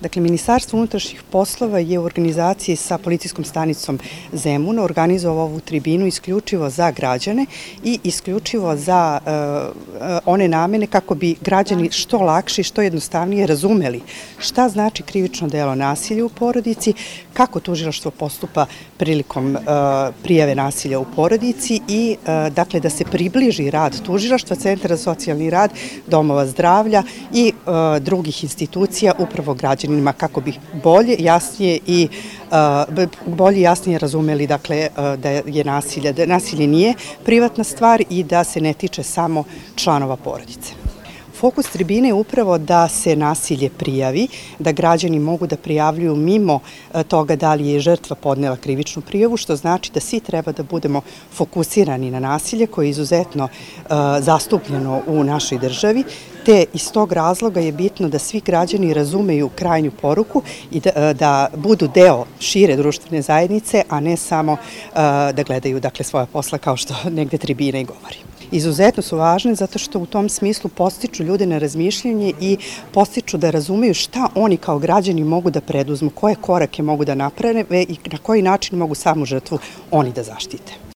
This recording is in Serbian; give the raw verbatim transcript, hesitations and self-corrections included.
Dakle, Ministarstvo unutrašnjih poslova je u organizaciji sa policijskom stanicom Zemun organizovao ovu tribinu isključivo za građane i isključivo za uh, one namene kako bi građani što lakše i što jednostavnije razumeli šta znači krivično delo nasilja u porodici, kako tužilaštvo postupa prilikom uh, prijave nasilja u porodici i uh, dakle da se približi rad tužilaštva, centara za socijalni rad, domova zdravlja i uh, drugih institucija upravo građanima kako bi bolje, jasnije i uh, bolje jasnije razumeli dakle uh, da je nasilje, da nasilje nije privatna stvar i da se ne tiče samo članova porodice. Fokus tribine je upravo da se nasilje prijavi, da građani mogu da prijavljuju mimo toga da li je žrtva podnela krivičnu prijavu, što znači da svi treba da budemo fokusirani na nasilje koje je izuzetno uh, zastupljeno u našoj državi, te iz tog razloga je bitno da svi građani razumeju krajnju poruku i da, da budu deo šire društvene zajednice, a ne samo uh, da gledaju dakle, svoja posla kao što negde tribina i govori. Izuzetno su važne zato što u tom smislu podstiču ljude na razmišljanje i podstiču da razumeju šta oni kao građani mogu da preduzmu, koje korake mogu da naprave i na koji način mogu samu žrtvu oni da zaštite.